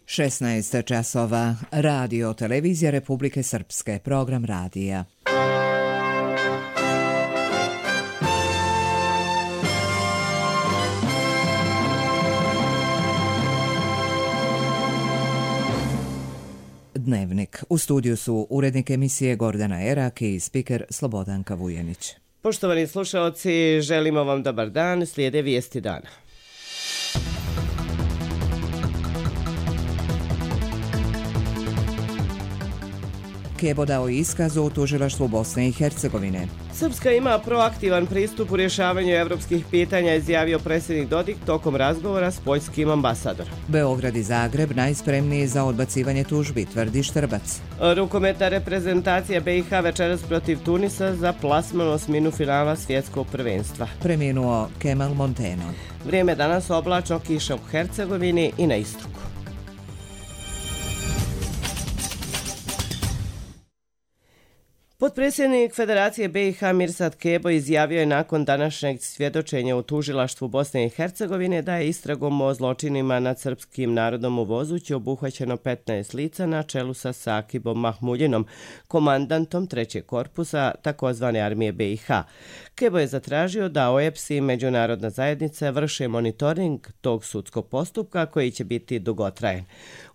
16 časova. Radio Televizija Republike Srpske. Program radija. Dnevnik. U studiju su urednik emisije Gordana Erak i spiker Slobodanka Vujenić. Poštovani slušaoci, želimo vam dobar dan, slijede vijesti dana. Kebo dao iskaz u tužilaštvu Bosne i Hercegovine. Srpska ima proaktivan pristup u rješavanju evropskih pitanja, izjavio predsjednik Dodik tokom razgovora s poljskim ambasadorom. Beograd i Zagreb najspremniji za odbacivanje tužbi, tvrdi Štrbac. Rukometna reprezentacija BiH večeras protiv Tunisa za plasman osminu finala svjetskog prvenstva. Preminuo Kemal Monteno. Vrijeme danas oblačno, kiša u Hercegovini i na istoku. Potpredsjednik Federacije BiH Mirsad Kebo izjavio je nakon današnjeg svjedočenja u tužilaštvu Bosne i Hercegovine da je istragom o zločinima nad srpskim narodom u Vozući obuhvaćeno 15 lica na čelu sa Sakibom Mahmuljinom, komandantom 3. korpusa takozvane armije BiH. Kebo je zatražio da OEBS i međunarodna zajednica vrše monitoring tog sudskog postupka koji će biti dugotrajan.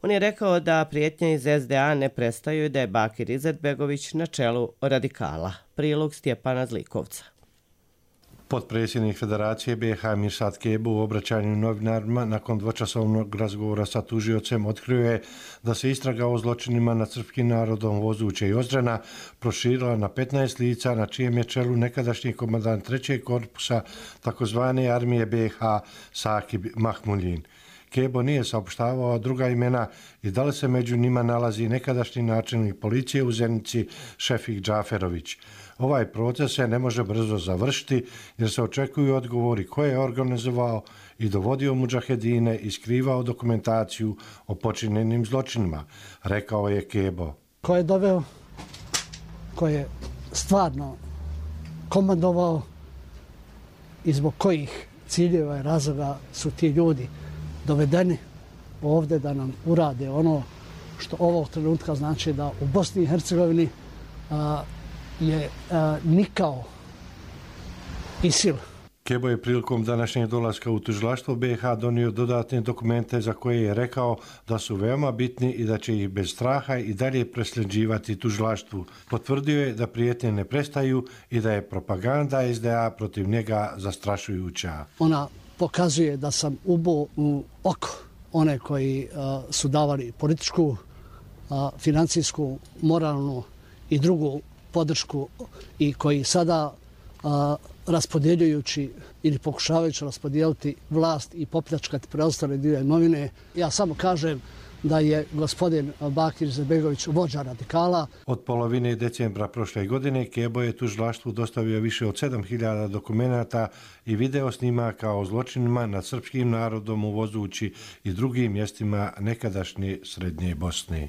On je rekao da prijetnje iz SDA ne prestaju i da je Bakir Izetbegović na čelu radikala. Prilog Stjepana Zlikovca. Potpredsjednik Federacije BiH Mirsad Kebo u obraćanju novinarima nakon dvočasovnog razgovora sa tužiocem otkrio je da se istraga o zločinima nad srpskim narodom Vozuće i Ozrena proširila na 15 lica na čijem je čelu nekadašnji komandant 3. korpusa takozvane armije BiH Sakib Mahmuljin. Kebo nije saopštavao druga imena i da li se među njima nalazi nekadašnji načelnik policije u Zenici Šefik Džaferović. Ovaj proces se ne može brzo završiti jer se očekuju odgovori ko je organizovao i dovodio mudžahedine i skrivao dokumentaciju o počinjenim zločinima, rekao je Kebo. Ko je doveo, ko je stvarno komandovao i zbog kojih ciljeva i razloga su ti ljudi dovedeni ovdje da nam urade ono što ovog trenutka znači da u Bosni i Hercegovini je nikao ISIL. Kebo je prilikom današnjeg dolaska u tužilaštvo BiH donio dodatne dokumente za koje je rekao da su veoma bitni i da će ih bez straha i dalje presljeđivati tužilaštvu. Potvrdio je da prijetnje ne prestaju i da je propaganda SDA protiv njega zastrašujuća. Ona pokazuje da sam ubo u oko one koji su davali političku, financijsku, moralnu i drugu podršku i koji sada raspodjeljujući ili pokušavajući raspodijeliti vlast i popljačkati preostale dio imovine. Ja samo kažem da je gospodin Bakir Izetbegović vođa radikala. Od polovine decembra prošle godine Kebo je tužilaštvu dostavio više od 7000 dokumenata i video snimaka o zločinima nad srpskim narodom u Vozući i drugim mjestima nekadašnje Srednje Bosne.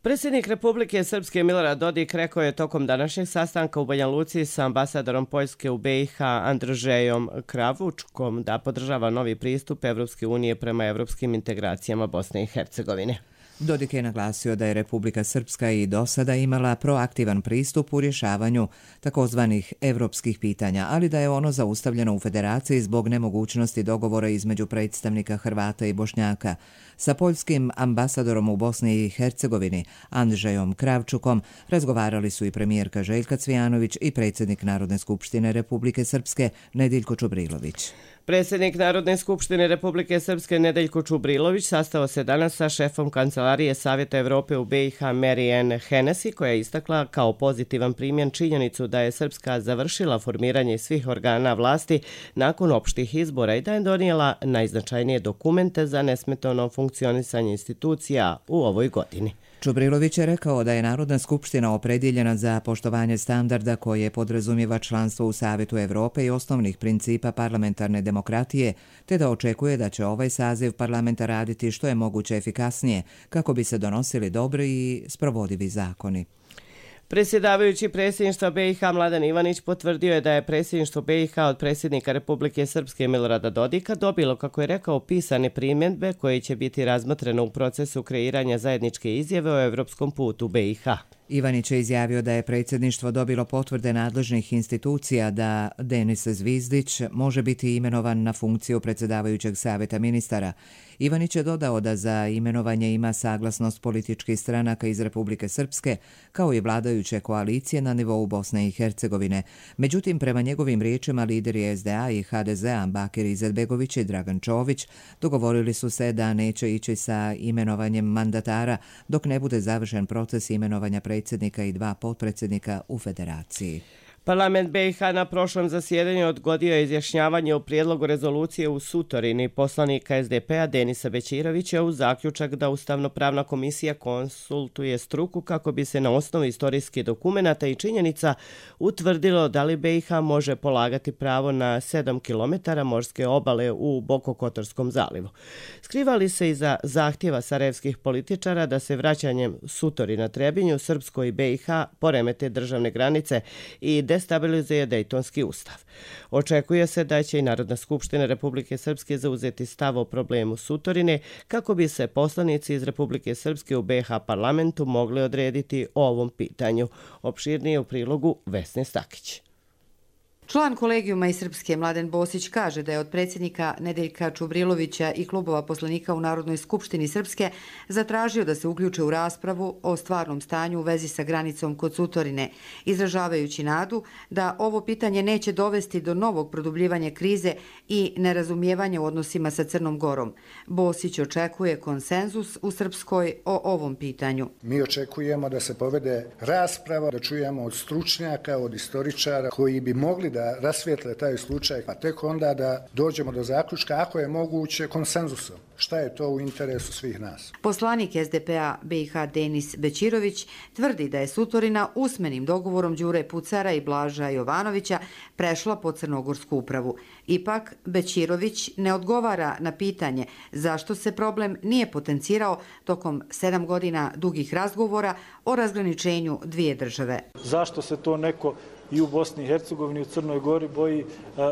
Predsjednik Republike Srpske Milorad Dodik rekao je tokom današnjeg sastanka u Banja Luci sa ambasadorom Poljske u BiH Andržejom Kravučkom da podržava novi pristup Evropske unije prema evropskim integracijama Bosne i Hercegovine. Dodik je naglasio da je Republika Srpska i do sada imala proaktivan pristup u rješavanju takozvanih evropskih pitanja, ali da je ono zaustavljeno u Federaciji zbog nemogućnosti dogovora između predstavnika Hrvata i Bošnjaka. Sa poljskim ambasadorom u Bosni i Hercegovini Andržejom Kravčukom razgovarali su i premijerka Željka Cvijanović i predsjednik Narodne skupštine Republike Srpske Nedeljko Čubrilović. Predsjednik Narodne skupštine Republike Srpske Nedeljko Čubrilović sastao se danas sa šefom Kancelarije Savjeta Evrope u BiH Marianne Hennessy, koja je istakla kao pozitivan primjer činjenicu da je Srpska završila formiranje svih organa vlasti nakon opštih izbora i da je donijela najznačajnije dokumente za nesmetano funkcionisanje institucija u ovoj godini. Čubrilović je rekao da je Narodna skupština opredjeljena za poštovanje standarda koje podrazumijeva članstvo u Savjetu Evrope i osnovnih principa parlamentarne demokratije, te da očekuje da će ovaj saziv parlamenta raditi što je moguće efikasnije kako bi se donosili dobri i sprovodivi zakoni. Predsjedavajući predsjedništva BiH Mladen Ivanić potvrdio je da je predsjedništvo BiH od predsjednika Republike Srpske Milorada Dodika dobilo, kako je rekao, pisane primjedbe koje će biti razmotrene u procesu kreiranja zajedničke izjave o evropskom putu BiH. Ivanić je izjavio da je predsjedništvo dobilo potvrde nadležnih institucija da Denis Zvizdić može biti imenovan na funkciju predsjedavajućeg savjeta ministara. Ivanić je dodao da za imenovanje ima saglasnost političkih stranaka iz Republike Srpske, kao i vladajuće koalicije na nivou Bosne i Hercegovine. Međutim, prema njegovim riječima, lideri SDA i HDZ-a Bakir Izetbegović i Dragan Čović dogovorili su se da neće ići sa imenovanjem mandatara dok ne bude završen proces imenovanja predsjednika i 2 potpredsjednika u federaciji. Parlament BiH na prošlom zasjedanju odgodio je izjašnjavanje o prijedlogu rezolucije u Sutorini poslanika SDP-a Denisa Bećirovića uz zaključak da Ustavno-pravna komisija konsultuje struku kako bi se na osnovu istorijskih dokumenata i činjenica utvrdilo da li BiH može polagati pravo na 7 km morske obale u Bokokotorskom zalivu. Skrivali se iza zahtjeva sarajevskih političara da se vraćanjem Sutori na Trebinju, Srpskoj i BiH poremete državne granice i destabilizuje Dejtonski ustav. Očekuje se da će i Narodna skupština Republike Srpske zauzeti stav o problemu Sutorine kako bi se poslanici iz Republike Srpske u BiH parlamentu mogli odrediti o ovom pitanju. Opširnije u prilogu Vesne Stakić. Član kolegijuma iz Srpske Mladen Bosić kaže da je od predsjednika Nedeljka Čubrilovića i klubova poslanika u Narodnoj skupštini Srpske zatražio da se uključe u raspravu o stvarnom stanju u vezi sa granicom kod Sutorine, izražavajući nadu da ovo pitanje neće dovesti do novog produbljivanja krize i nerazumijevanja u odnosima sa Crnom Gorom. Bosić očekuje konsenzus u Srpskoj o ovom pitanju. Mi očekujemo da se povede rasprava, da čujemo od stručnjaka, od istoričara koji bi mogli da rasvijetle taj slučaj, pa tek onda da dođemo do zaključka ako je moguće konsenzusom. Šta je to u interesu svih nas? Poslanik SDP-a BiH Denis Bećirović tvrdi da je Sutorina usmenim dogovorom Đure Pucara i Blaža Jovanovića prešla pod crnogorsku upravu. Ipak, Bećirović ne odgovara na pitanje zašto se problem nije potencirao tokom 7 godina dugih razgovora o razgraničenju dvije države. Zašto se to neko i u Bosni i Hercegovini i u Crnoj Gori boji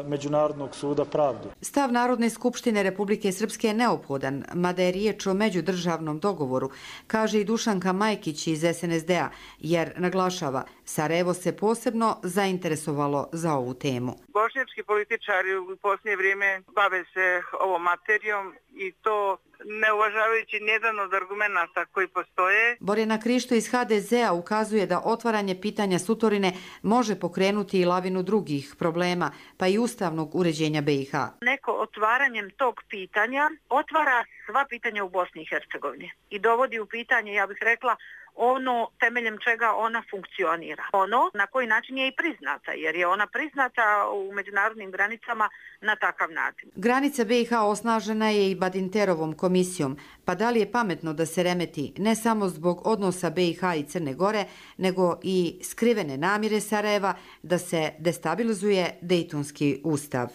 Međunarodnog suda pravde? Stav Narodne skupštine Republike Srpske je neophodan, mada je riječ o međudržavnom dogovoru, kaže i Dušanka Majkić iz SNSD-a, jer naglašava, Sarajevo se posebno zainteresovalo za ovu temu. Bošnjački političari u posljednje vrijeme bave se ovom materijom i to ne uvažavajući nijedan od argumenta koji postoje. Borjana Krišto iz HDZ-a ukazuje da otvaranje pitanja Sutorine može pokrenuti i lavinu drugih problema, pa i ustavnog uređenja BiH. Neko otvaranjem tog pitanja otvara sva pitanja u Bosni i Hercegovini i dovodi u pitanje, ja bih rekla, ono temeljem čega ona funkcionira. Ono na koji način je i priznata, jer je ona priznata u međunarodnim granicama na takav način. Granica BiH osnažena je i Badinterovom komisijom, pa da li je pametno da se remeti ne samo zbog odnosa BiH i Crne Gore, nego i skrivene namjere Sarajeva da se destabilizuje Dejtonski ustav.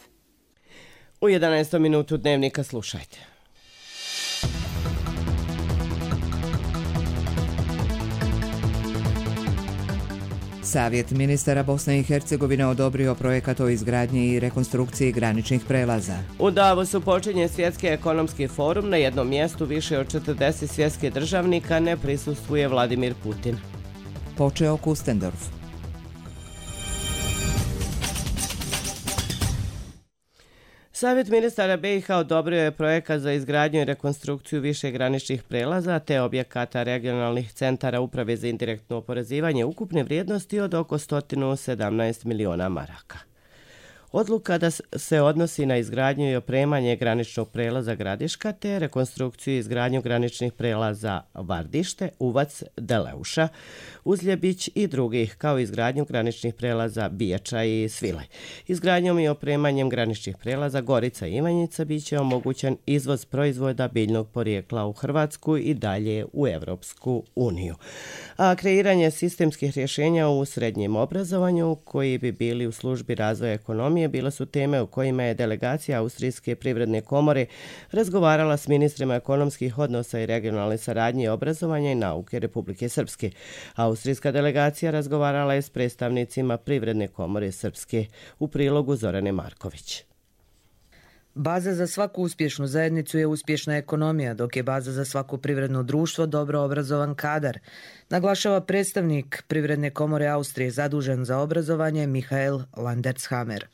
U 11. minutu dnevnika slušajte. Savjet ministara Bosne i Hercegovine odobrio projekat o izgradnji i rekonstrukciji graničnih prelaza. U Davosu počinje svjetski ekonomski forum. Na jednom mjestu više od 40 svjetskih državnika ne prisustvuje Vladimir Putin. Počeo Kustendorf. Savjet ministara BiH odobrio je projekat za izgradnju i rekonstrukciju više graničnih prelaza te objekata regionalnih centara uprave za indirektno oporezivanje ukupne vrijednosti od oko 117 miliona maraka. Odluka da se odnosi na izgradnju i opremanje graničnog prelaza Gradiška te rekonstrukciju i izgradnju graničnih prelaza Vardište, Uvac, Deleuša, Uzljebić i drugih, kao izgradnju graničnih prelaza Bijača i Svilaj. Izgradnjom i opremanjem graničnih prelaza Gorica i Ivanjica bit će omogućen izvoz proizvoda biljnog porijekla u Hrvatsku i dalje u Evropsku uniju. A kreiranje sistemskih rješenja u srednjem obrazovanju koji bi bili u službi razvoja ekonomije unije bile su teme o kojima je delegacija Austrijske privredne komore razgovarala s ministrima ekonomskih odnosa i regionalne saradnje, obrazovanja i nauke Republike Srpske. Austrijska delegacija razgovarala je s predstavnicima Privredne komore Srpske. U prilogu Zorane Marković. Baza za svaku uspješnu zajednicu je uspješna ekonomija, dok je baza za svako privredno društvo dobro obrazovan kadar, naglašava predstavnik Privredne komore Austrije zadužen za obrazovanje Michael Landershammer.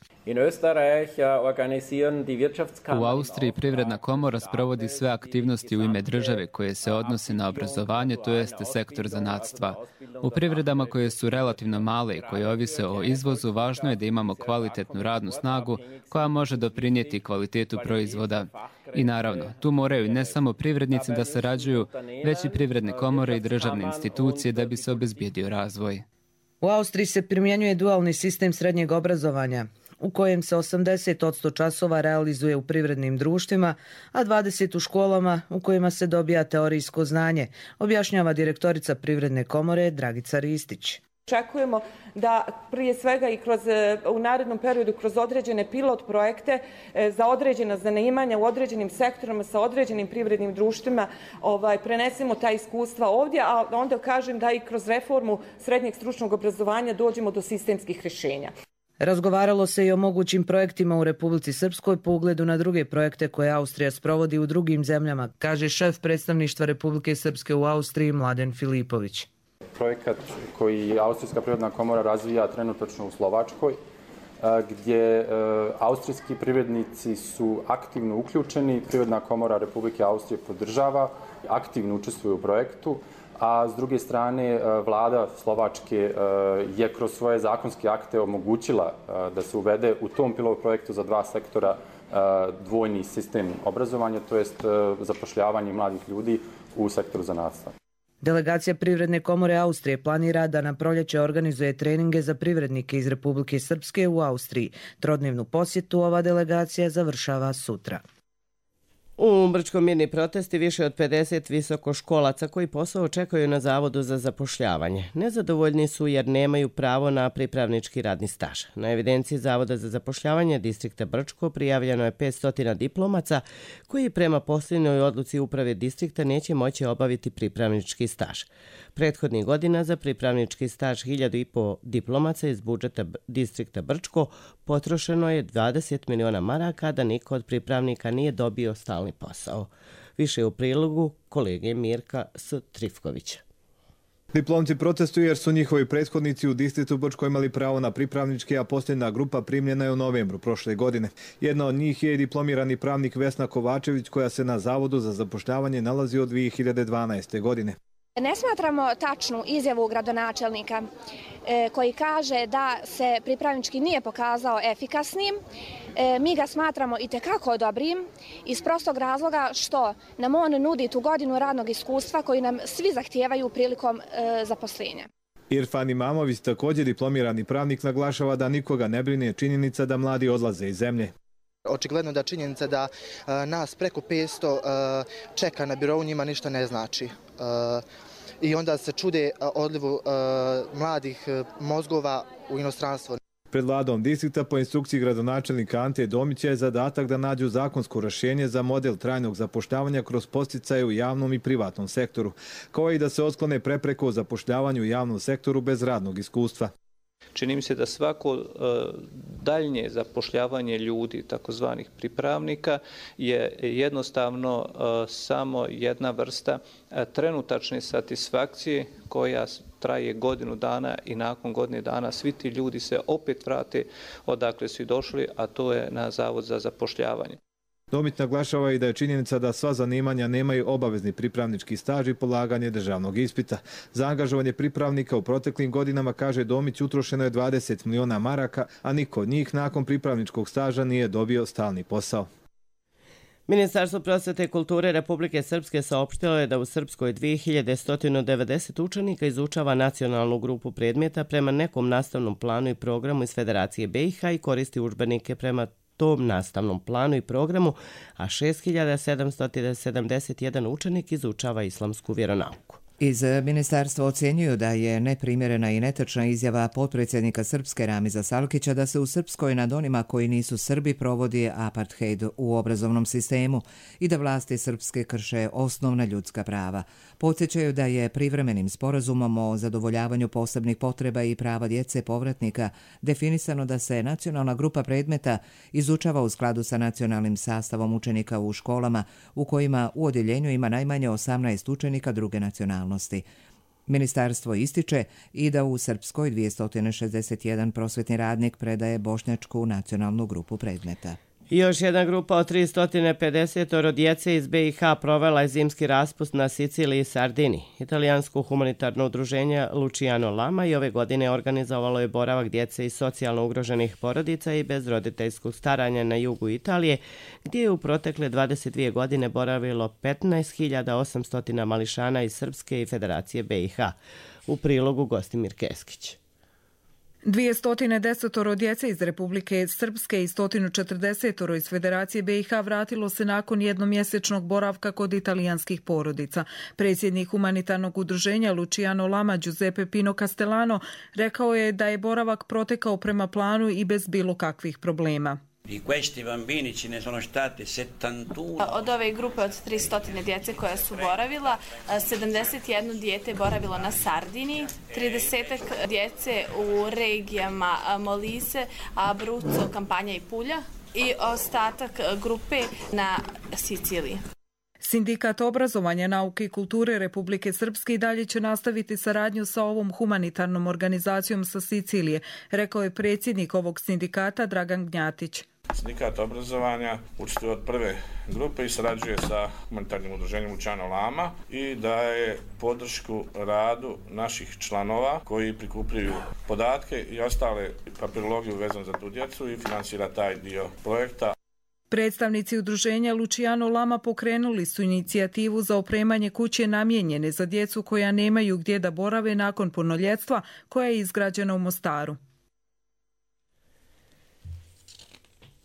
U Austriji Privredna komora sprovodi sve aktivnosti u ime države koje se odnose na obrazovanje, to jeste sektor zanatstva. U privredama koje su relativno male i koje ovise o izvozu, važno je da imamo kvalitetnu radnu snagu koja može doprinijeti kvalitetu proizvoda. I naravno, tu moraju ne samo privrednici da sarađuju, već i privredne komore i državne institucije da bi se obezbijedio razvoj. U Austriji se primjenjuje dualni sistem srednjeg obrazovanja, u kojem se 80% časova realizuje u privrednim društvima, a 20% u školama u kojima se dobija teorijsko znanje, objašnjava direktorica Privredne komore Dragica Ristić. Očekujemo da prije svega i u narednom periodu kroz određene pilot projekte za određena zanimanja u određenim sektorima sa određenim privrednim društvima prenesemo ta iskustva ovdje, a onda kažem da i kroz reformu srednjeg stručnog obrazovanja dođemo do sistemskih rješenja. Razgovaralo se i o mogućim projektima u Republici Srpskoj po ugledu na druge projekte koje Austrija sprovodi u drugim zemljama, kaže šef predstavništva Republike Srpske u Austriji Mladen Filipović. Projekat koji Austrijska privredna komora razvija trenutačno u Slovačkoj, gdje austrijski privrednici su aktivno uključeni, Privredna komora Republike Austrije podržava, aktivno učestvuje u projektu, a s druge strane vlada Slovačke je kroz svoje zakonske akte omogućila da se uvede u tom pilot projektu za 2 sektora dvojni sistem obrazovanja, to jest zapošljavanje mladih ljudi u sektoru zanatstva. Delegacija Privredne komore Austrije planira da na proljeće organizuje treninge za privrednike iz Republike Srpske u Austriji. Trodnevnu posjetu ova delegacija završava sutra. U Brčkom mirni protesti više od 50 visokoškolaca koji posao očekuju na Zavodu za zapošljavanje. Nezadovoljni su jer nemaju pravo na pripravnički radni staž. Na evidenciji Zavoda za zapošljavanje distrikta Brčko prijavljeno je 500 diplomaca koji prema posljednjoj odluci uprave distrikta neće moći obaviti pripravnički staž. Prethodnih godina za pripravnički staž 1500 diplomaca iz budžeta distrikta Brčko potrošeno je 20 miliona maraka, da niko od pripravnika nije dobio stalni posao. Više u prilogu kolege Mirka Trifkovića. Diplomci protestuju jer su njihovi prethodnici u distriktu Brčko imali pravo na pripravnički, a posljedna grupa primljena je u novembru prošle godine. Jedna od njih je i diplomirani pravnik Vesna Kovačević, koja se na Zavodu za zapošljavanje nalazi od 2012. godine. Ne smatramo tačnu izjavu gradonačelnika koji kaže da se pripravnički nije pokazao efikasnim. Mi ga smatramo itekako dobrim iz prostog razloga što nam on nudi tu godinu radnog iskustva koji nam svi zahtijevaju prilikom zaposlenja. Irfan Imamović, također diplomirani pravnik, naglašava da nikoga ne brine činjenica da mladi odlaze iz zemlje. Očigledno da činjenica da nas preko 500 čeka na birou njima ništa ne znači. I onda se čude odlivu mladih mozgova u inostranstvo. Pred vladom distrikta po instrukciji gradonačelnika Ante Domića je zadatak da nađu zakonsko rješenje za model trajnog zapošljavanja kroz podsticaje u javnom i privatnom sektoru, kao i da se otklone prepreke u zapošljavanju u javnom sektoru bez radnog iskustva. Čini mi se da svako daljnje zapošljavanje ljudi, takozvanih pripravnika, je jednostavno samo jedna vrsta trenutačne satisfakcije koja traje godinu dana i nakon godine dana svi ti ljudi se opet vrate odakle su i došli, a to je na Zavod za zapošljavanje. Domić naglašava i da je činjenica da sva zanimanja nemaju obavezni pripravnički staž i polaganje državnog ispita. Za angažovanje pripravnika u proteklim godinama, kaže Domić, utrošeno je 20 miliona maraka, a niko od njih nakon pripravničkog staža nije dobio stalni posao. Ministarstvo prosvete i kulture Republike Srpske saopštilo je da u Srpskoj 2190 učenika izučava nacionalnu grupu predmeta prema nekom nastavnom planu i programu iz Federacije BiH i koristi udžbenike prema tom nastavnom planu i programu, a 6771 učenik izučava islamsku vjeronauku. Iz ministarstva ocjenjuju da je neprimjerena i netočna izjava potpredsjednika Srpske Ramiza Salkića da se u Srpskoj nad onima koji nisu Srbi provodi apartheid u obrazovnom sistemu i da vlasti Srpske krše osnovna ljudska prava. Podsjećaju da je privremenim sporazumom o zadovoljavanju posebnih potreba i prava djece povratnika definisano da se nacionalna grupa predmeta izučava u skladu sa nacionalnim sastavom učenika u školama u kojima u odjeljenju ima najmanje 18 učenika druge nacionalnosti. Ministarstvo ističe i da u Srpskoj 261 prosvetni radnik predaje bošnjačku nacionalnu grupu predmeta. Još jedna grupa od 350 djece iz BiH provela je zimski raspust na Siciliji i Sardini. Italijansko humanitarno udruženje Luciano Lama i ove godine organizovalo je boravak djece iz socijalno ugroženih porodica i bez roditeljskog staranja na jugu Italije, gdje je u protekle 22 godine boravilo 15.800 mališana iz Srpske i Federacije BiH. U prilogu Gostimir Keskić. 210 djece iz Republike Srpske i 140 iz Federacije BiH vratilo se nakon jednomjesečnog boravka kod italijanskih porodica. Predsjednik humanitarnog udruženja Luciano Lama Giuseppe Pino Castellano rekao je da je boravak protekao prema planu i bez bilo kakvih problema. Od ove grupe od 300 djece koja su boravila, 71 dijete je boravilo na Sardini, 30 djece u regijama Molise, Abruzzo, Campania i Puglia i ostatak grupe na Siciliji. Sindikat obrazovanja, nauke i kulture Republike Srpske i dalje će nastaviti saradnju sa ovom humanitarnom organizacijom sa Sicilije, rekao je predsjednik ovog sindikata Dragan Gnjatić. Sindikat obrazovanja učestvuje od prve grupe i sarađuje sa humanitarnim udruženjem Luciano Lama i daje podršku radu naših članova koji prikupljaju podatke i ostale papirologiju vezano za tu djecu i finansira taj dio projekta. Predstavnici udruženja Luciano Lama pokrenuli su inicijativu za opremanje kuće namijenjene za djecu koja nemaju gdje da borave nakon punoljetstva, koja je izgrađena u Mostaru.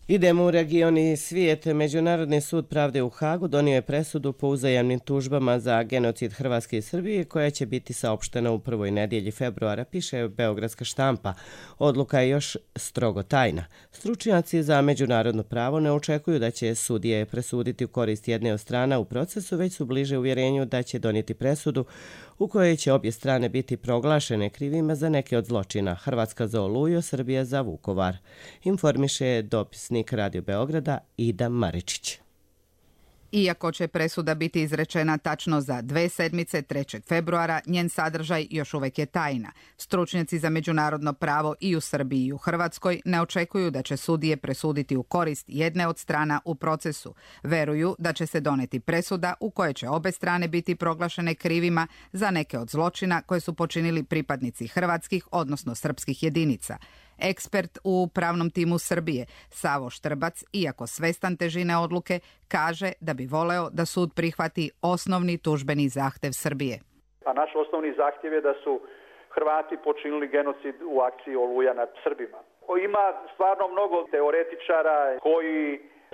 Idemo u region i svijet. Međunarodni sud pravde u Hagu donio je presudu po uzajamnim tužbama za genocid Hrvatske i Srbije koja će biti saopštena u prvoj nedjelji februara, piše Beogradska štampa. Odluka je još strogo tajna. Stručnjaci za međunarodno pravo ne očekuju da će sudije presuditi u korist jedne od strana u procesu, već su bliže uvjerenju da će donijeti presudu u kojoj će obje strane biti proglašene krivima za neke od zločina. Hrvatska za Oluju, Srbija za Vukovar. Informiše dopisnik Radio Beograda Ida Maričić. Iako će presuda biti izrečena tačno za 2 sedmice, 3. februara, njen sadržaj još uvijek je tajna. Stručnjaci za međunarodno pravo i u Srbiji i u Hrvatskoj ne očekuju da će sudije presuditi u korist jedne od strana u procesu. Veruju da će se doneti presuda u kojoj će obe strane biti proglašene krivima za neke od zločina koje su počinili pripadnici hrvatskih, odnosno srpskih jedinica. Ekspert u pravnom timu Srbije, Savo Štrbac, iako svestan težine odluke, kaže da bi voleo da sud prihvati osnovni tužbeni zahtjev Srbije. A naš osnovni zahtjev je da su Hrvati počinili genocid u akciji Oluja nad Srbima. Ima stvarno mnogo teoretičara koji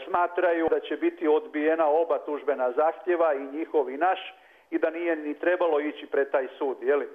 smatraju da će biti odbijena oba tužbena zahtjeva, i njihov i naš, i da nije ni trebalo ići pred taj sud, jeli?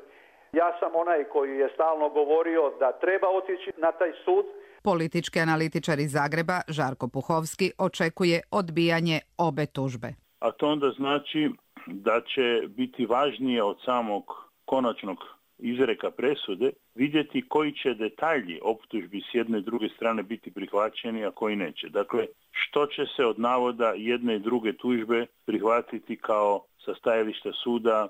Ja sam onaj koji je stalno govorio da treba otići na taj sud. Politički analitičar iz Zagreba, Žarko Puhovski, očekuje odbijanje obe tužbe. A to onda znači da će biti važnije od samog konačnog izreka presude vidjeti koji će detalji optužbi s jedne i druge strane biti prihvaćeni, a koji neće. Dakle, što će se od navoda jedne i druge tužbe prihvatiti kao sa stajališta suda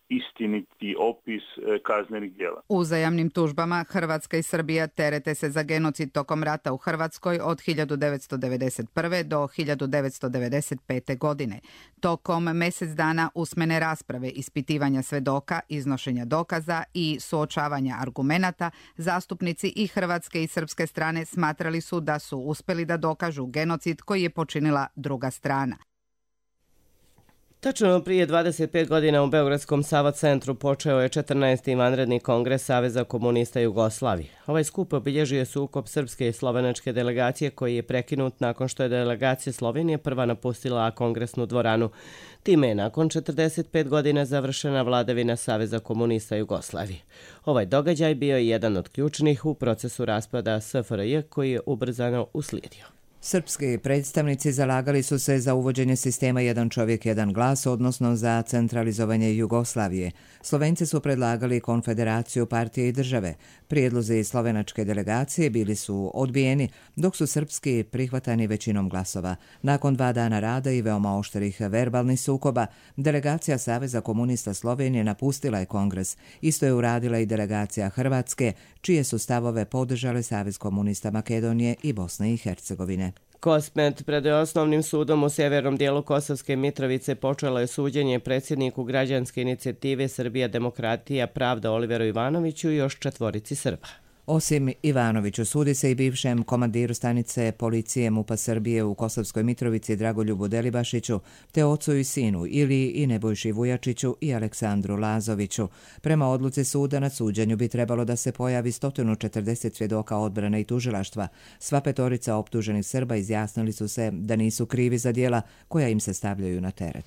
istiniti opis kaznenih djela. U uzajamnim tužbama Hrvatska i Srbija terete se za genocid tokom rata u Hrvatskoj od 1991. do 1995. godine. Tokom mjesec dana usmene rasprave, ispitivanja svedoka, iznošenja dokaza i suočavanja argumenata, zastupnici i hrvatske i srpske strane smatrali su da su uspjeli da dokažu genocid koji je počinila druga strana. Tačno prije 25 godina u Beogradskom Sava centru počeo je 14. vanredni kongres Saveza komunista Jugoslavije. Ovaj skup obilježio je sukob srpske i slovenačke delegacije koji je prekinut nakon što je delegacija Slovenije prva napustila kongresnu dvoranu. Time je nakon 45 godina završena vladavina Saveza komunista Jugoslavije. Ovaj događaj bio je jedan od ključnih u procesu raspada SFRJ koji je ubrzano uslijedio. Srpski predstavnici zalagali su se za uvođenje sistema jedan čovjek, jedan glas, odnosno za centralizovanje Jugoslavije. Slovenci su predlagali konfederaciju partije i države. Prijedlozi slovenačke delegacije bili su odbijeni, dok su srpski prihvatani većinom glasova. Nakon 2 dana rada i veoma oštrih verbalnih sukoba, delegacija Saveza komunista Slovenije napustila je kongres. Isto je uradila i delegacija Hrvatske, čije su stavove podržale Savez komunista Makedonije i Bosne i Hercegovine. Kosmet pred osnovnim sudom u sjevernom dijelu Kosovske Mitrovice počelo je suđenje predsjedniku građanske inicijative Srbija demokratija pravda Oliveru Ivanoviću i još 4 Srba. Osim Ivanoviću, sudi se i bivšem komandiru stanice policije MUP-a Srbije u Kosovskoj Mitrovici Dragoljubu Delibašiću, te ocu i sinu Iliji i Nebojši Vujačiću i Aleksandru Lazoviću. Prema odluci suda na suđenju bi trebalo da se pojavi 140 svjedoka odbrane i tužilaštva. Sva 5 optuženih Srba izjasnili su se da nisu krivi za djela koja im se stavljaju na teret.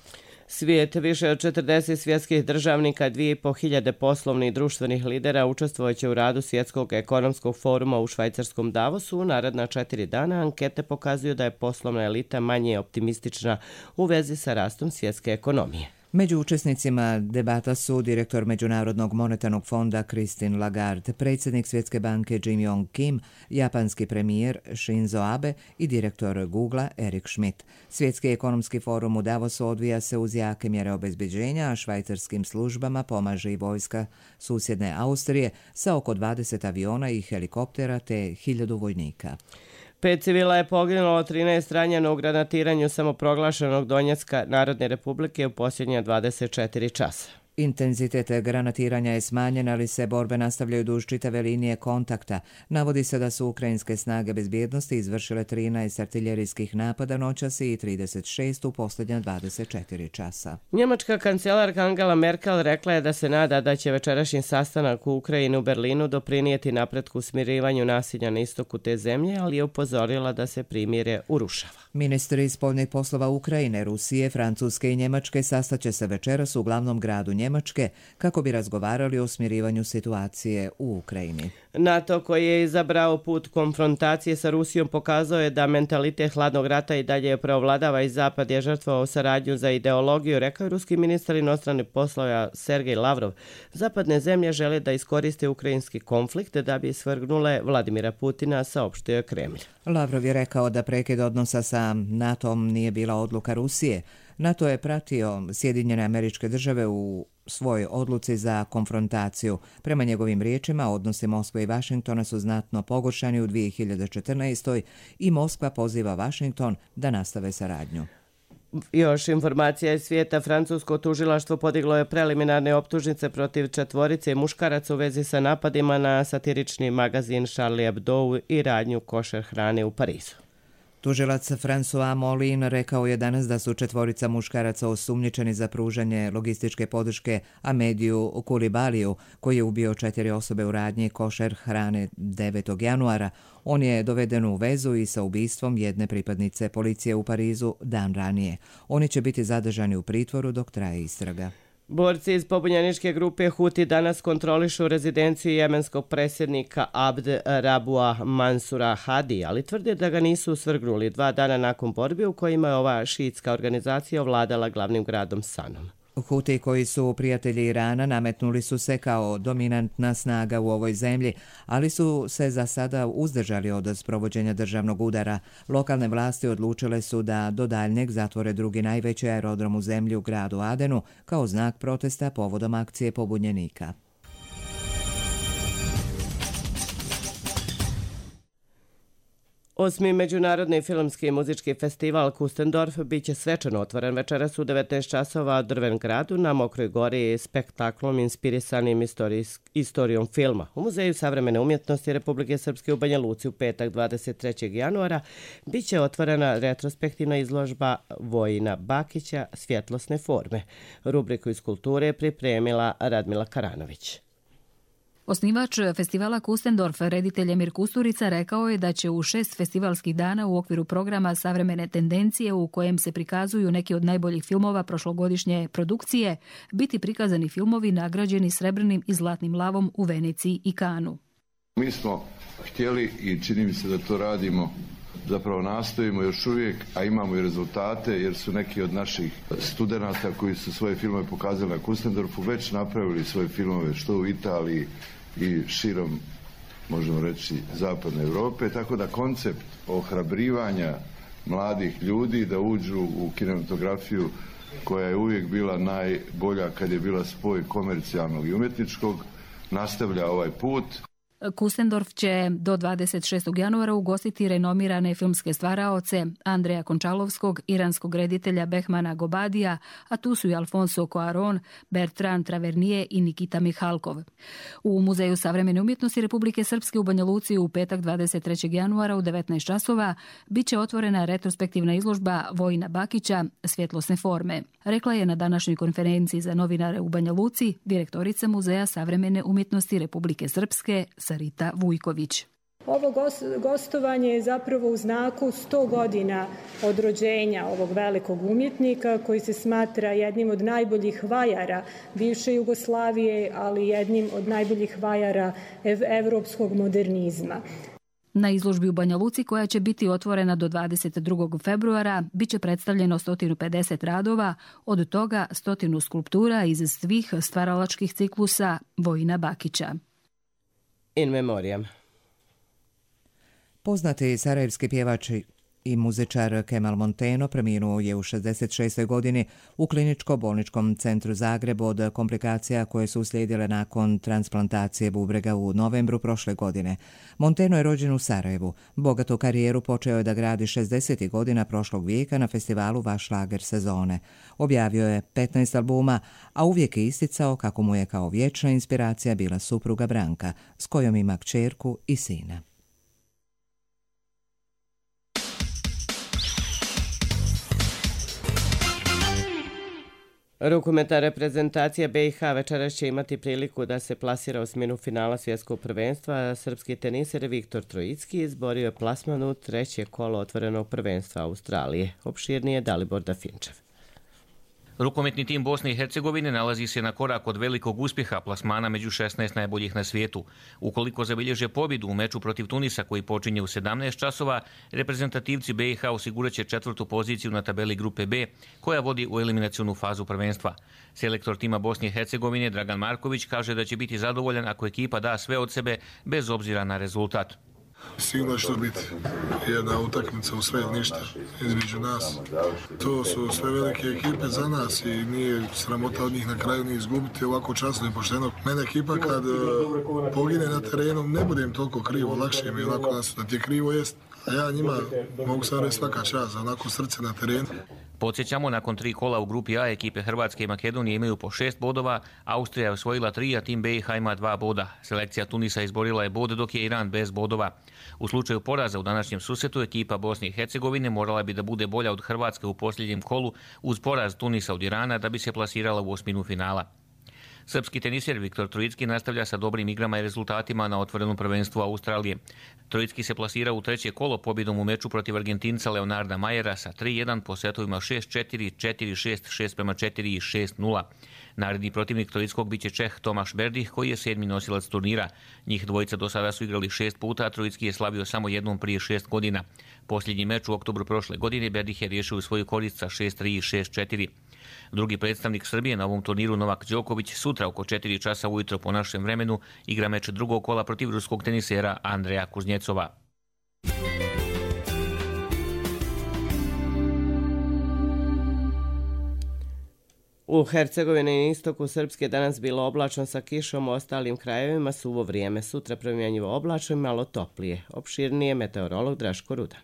Svijet, više od 40 svjetskih državnika, 2500 poslovnih i društvenih lidera učestvovaće u radu Svjetskog ekonomskog foruma u švajcarskom Davosu. U naredna 4 dana ankete pokazuju da je poslovna elita manje optimistična u vezi sa rastom svjetske ekonomije. Među učesnicima debata su direktor Međunarodnog monetarnog fonda Christine Lagarde, predsjednik Svjetske banke Jim Yong Kim, japanski premijer Shinzo Abe i direktor Googlea Eric Schmidt. Svjetski ekonomski forum u Davosu odvija se uz jake mjere obezbeđenja, a švajcarskim službama pomaže i vojska susjedne Austrije sa oko 20 aviona i helikoptera te 1000 vojnika. 5 civila je poginulo, 13 ranjeno u granatiranju samoproglašenog Donjecka Narodne republike u posljednja 24 časa. Intenzitet granatiranja je smanjen, ali se borbe nastavljaju duž čitave linije kontakta. Navodi se da su ukrajinske snage bezbjednosti izvršile 13 artiljerijskih napada noćas i 36 u posljednja 24 časa. Njemačka kancelarka Angela Merkel rekla je da se nada da će večerašnji sastanak u Ukrajini u Berlinu doprinijeti napretku u smirivanju nasilja na istoku te zemlje, ali je upozorila da se primirje urušava. Ministri spoljnih poslova Ukrajine, Rusije, Francuske i Njemačke sastaće se večeras u glavnom gradu Njemačke kako bi razgovarali o smirivanju situacije u Ukrajini. NATO, koji je izabrao put konfrontacije sa Rusijom, pokazao je da mentalitet hladnog rata i dalje preovladava i Zapad je žrtvovao saradnju za ideologiju, rekao je ruski ministar inostranih poslova Sergej Lavrov. Zapadne zemlje žele da iskoriste ukrajinski konflikt da bi svrgnule Vladimira Putina, saopštio je Kremlj. Lavrov je rekao da prekid odnosa sa NATO-om nije bila odluka Rusije. NATO je pratio Sjedinjene Američke Države u svojoj odluci za konfrontaciju. Prema njegovim riječima, odnosi Moskve i Vašingtona su znatno pogoršani u 2014. i Moskva poziva Vašington da nastave saradnju. Još informacija iz svijeta. Francusko tužilaštvo podiglo je preliminarne optužnice protiv 4 muškaraca u vezi sa napadima na satirični magazin Charlie Hebdo i radnju košer hrane u Parizu. Tužilac François Molin rekao je danas da su 4 muškaraca osumnjičeni za pružanje logističke podrške Amediju Kulibaliju, koji je ubio 4 osobe u radnji košer hrane 9. januara. On je doveden u vezu i sa ubistvom jedne pripadnice policije u Parizu dan ranije. Oni će biti zadržani u pritvoru dok traje istraga. Borci iz pobunjeničke grupe Huti danas kontrolišu rezidenciju jemenskog predsjednika Abd Rabua Mansura Hadi, ali tvrde da ga nisu svrgnuli 2 dana nakon borbi u kojima je ova šiitska organizacija ovladala glavnim gradom Sanom. Huti, koji su prijatelji Irana, nametnuli su se kao dominantna snaga u ovoj zemlji, ali su se za sada uzdržali od sprovođenja državnog udara. Lokalne vlasti odlučile su da do daljnjeg zatvore drugi najveći aerodrom u zemlji u gradu Adenu kao znak protesta povodom akcije pobunjenika. 8. Međunarodni filmski i muzički festival Kustendorf biće svečano otvoren večeras u 19 časova u Drven gradu na Mokroj gori spektaklom inspirisanim istorijom filma. U Muzeju savremene umjetnosti Republike Srpske u Banja Luci u petak 23. januara biće otvorena retrospektivna izložba Vojina Bakića Svjetlosne forme. Rubriku iz kulture pripremila Radmila Karanović. Osnivač festivala Kustendorf, reditelj Emir Kusturica, rekao je da će u 6 festivalskih dana u okviru programa Savremene tendencije, u kojem se prikazuju neki od najboljih filmova prošlogodišnje produkcije, biti prikazani filmovi nagrađeni srebrnim i zlatnim lavom u Veneciji i Kanu. Mi smo htjeli i čini mi se da to radimo, zapravo nastojimo još uvijek, a imamo i rezultate, jer su neki od naših studenata koji su svoje filmove pokazali na Kustendorfu već napravili svoje filmove što u Italiji i širom, možemo reći, zapadne Europe, tako da koncept ohrabrivanja mladih ljudi da uđu u kinematografiju koja je uvijek bila najbolja kad je bila spoj komercijalnog i umjetničkog, nastavlja ovaj put. Kustendorf će do 26. januara ugostiti renomirane filmske stvaraoce Andreja Končalovskog, iranskog reditelja Behmana Gobadija, a tu su i Alfonso Cuarón, Bertrand Tavernier i Nikita Mihalkov. U Muzeju savremene umjetnosti Republike Srpske u Banja Luci u petak 23. januara u 19 časova biće otvorena retrospektivna izložba Vojina Bakića Svjetlosne forme. Rekla je na današnjoj konferenciji za novinare u Banja Luci direktorica Muzeja savremene umjetnosti Republike Srpske Sarita Vujković. Ovo gostovanje je zapravo u znaku 100 godina od rođenja ovog velikog umjetnika koji se smatra jednim od najboljih vajara bivše Jugoslavije, ali jednim od najboljih vajara evropskog modernizma. Na izložbi u Banja Luci, koja će biti otvorena do 22. februara, biće predstavljeno 150 radova, od toga 100 skulptura iz svih stvaralačkih ciklusa Vojina Bakića. In memoriam. Poznati sarajevski pjevač i muzičar Kemal Monteno preminuo je u 66. godini u kliničko-bolničkom centru Zagreb od komplikacija koje su uslijedile nakon transplantacije bubrega u novembru prošle godine. Monteno je rođen u Sarajevu. Bogatu karijeru počeo je da gradi 60. godina prošlog vijeka na festivalu Vaš lager sezone. Objavio je 15 albuma, a uvijek je isticao kako mu je kao vječna inspiracija bila supruga Branka, s kojom ima kćerku i sina. Rukometna reprezentacija BiH večeras će imati priliku da se plasira u osminu finala svjetskog prvenstva. Srpski teniser Viktor Trojicki izborio je plasman u treće kolo otvorenog prvenstva Australije. Opširnije Dalibor Dafinčev. Rukometni tim Bosne i Hercegovine nalazi se na korak od velikog uspjeha plasmana među 16 najboljih na svijetu. Ukoliko zabilježe pobjedu u meču protiv Tunisa koji počinje u 17 časova, reprezentativci BiH osigurat će 4. poziciju na tabeli grupe B, koja vodi u eliminacionu fazu prvenstva. Selektor tima Bosne i Hercegovine Dragan Marković kaže da će biti zadovoljan ako ekipa da sve od sebe bez obzira na rezultat. Sigurno će to biti jedna utakmica u sve ništa između nas. To su sve velike ekipe za nas i nije sramota od njih na kraju ni izgubiti ovako časno i pošteno. Mene ekipa kad pogine na terenu ne budem toliko krivo, lakše mi onako da ti je krivo jest. A ja njima mogu sad reći svaka čast za onako srce na terenu. Podsjećamo, nakon 3 kola u grupi A ekipe Hrvatske i Makedonije imaju po 6 bodova, Austrija je osvojila 3, a tim BiH ima 2 boda. Selekcija Tunisa izborila je bod, dok je Iran bez bodova. U slučaju poraza u današnjem susretu ekipa Bosne i Hercegovine morala bi da bude bolja od Hrvatske u posljednjem kolu uz poraz Tunisa od Irana da bi se plasirala u osminu finala. Srpski teniser Viktor Trojicki nastavlja sa dobrim igrama i rezultatima na otvorenom prvenstvu Australije. Trojicki se plasira u treće kolo pobjedom u meču protiv Argentinca Leonarda Majera sa 3-1 po setovima 6-4, 4-6, 6-4 i 6-0. Naredni protivnik Trojickog biće Čeh Tomaš Berdih, koji je 7. nosilac turnira. Njih dvojica do sada su igrali 6 puta, a Trojicki je slavio samo jednom prije 6 godina. Posljednji meč u oktobru prošle godine Berdih je riješio u svoju korist sa 6-3 i 6-4. Drugi predstavnik Srbije na ovom turniru Novak Đoković sutra oko 4 časa ujutro po našem vremenu igra meč drugog kola protiv ruskog tenisera Andreja Kuznjecova. U Hercegovini i istoku Srpske danas bilo oblačno sa kišom, u ostalim krajevima suvo vrijeme. Sutra promjenjivo oblačno i malo toplije. Opširnije meteorolog Draško Ruda.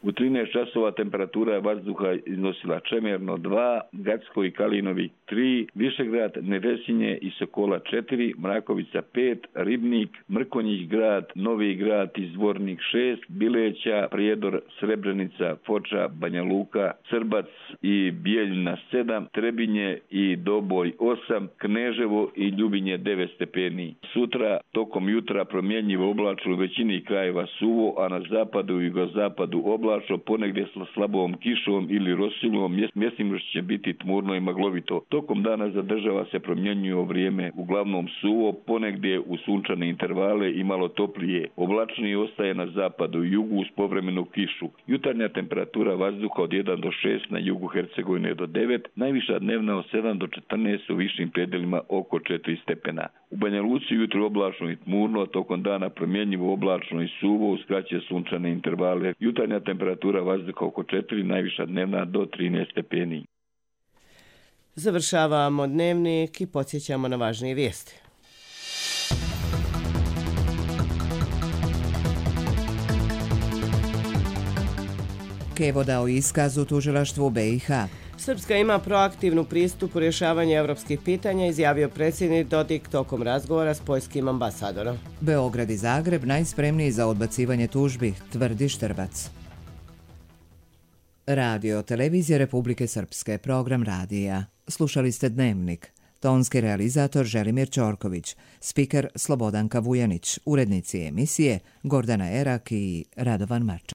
U 13 časova temperatura vazduha iznosila Čemerno 2, Gacko i Kalinovi 3, Višegrad, Nevesinje i Sokola 4, Mrakovica 5, Ribnik, Mrkonjić grad, Novi grad i Zvornik 6, Bileća, Prijedor, Srebrenica, Foča, Banja Luka, Srbac i Bijeljina 7, Trebinje i Doboj 8, Kneževo i Ljubinje 9 stepeni. Sutra tokom jutra promjenjivo oblačno u većini krajeva suvo, a na zapadu i jugozapadu oblačno, ponegdje sa slabom kišom ili rosilom, mjestima će biti tmurno i maglovito. Tokom dana zadržava se promjenjivo vrijeme, uglavnom suvo, ponegdje u sunčane intervale i malo toplije. Oblačniji ostaje na zapadu i jugu uz povremenu kišu. Jutarnja temperatura vazduha od 1 do 6, na jugu Hercegovine do 9, najviša dnevna od 7 do 14, u višim predelima oko 4 stepena. U Banja Luci jutro oblačno i tmurno, a tokom dana promjenjivo oblačno i suvo uz kraće sunčane intervale. Jutarnja temperatura vazduha oko 4, najviša dnevna do 13 stepeni. Završavamo dnevnik i podsjećamo na važnije vijesti. Kevo dao iskaz u tužilaštvu BiH. Srpska ima proaktivnu pristup u rješavanju evropskih pitanja, izjavio predsjednik Dodik tokom razgovora s poljskim ambasadorom. Beograd i Zagreb najspremniji za odbacivanje tužbi, tvrdi Štrbac. Radio Televizija Republike Srpske, program radija. Slušali ste Dnevnik. Tonski realizator Želimir Ćorković, spiker Slobodanka Vujanić, urednici emisije Gordana Erak i Radovan Marčan.